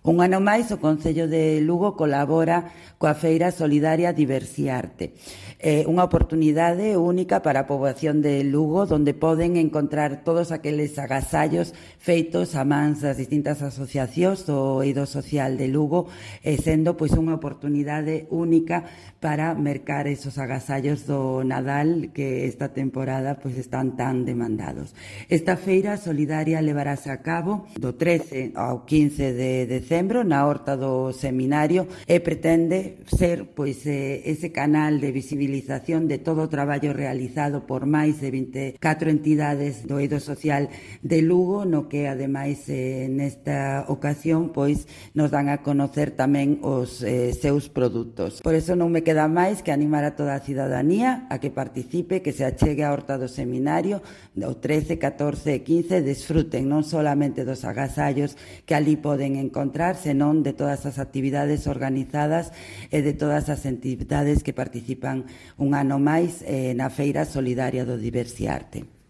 Un ano máis, o Concello de Lugo colabora coa Feira Solidaria Diversiarte. Unha oportunidade única para a poboación de Lugo, onde poden encontrar todos aqueles agasallos feitos a mans das distintas asociacións do eido social de Lugo, sendo pois unha oportunidade única para mercar esos agasallos do Nadal que esta temporada pois están tan demandados. Esta feira solidaria levarase a cabo do 13 ao 15 de decembro na horta do seminario e pretende ser pois ese canal de visibilización de todo o traballo realizado por máis de 24 entidades do eido social de Lugo, no que ademais nesta ocasión pois nos dan a conocer tamén os seus produtos. Por eso non me queda máis que animar a toda a cidadanía a que participe, que se achegue á horta do seminario o 13, 14 e 15, desfruten non solamente dos agasallos que ali poden encontrar, senón de todas as actividades organizadas e de todas as entidades que participan un ano máis na Feira Solidaria do Diversiarte.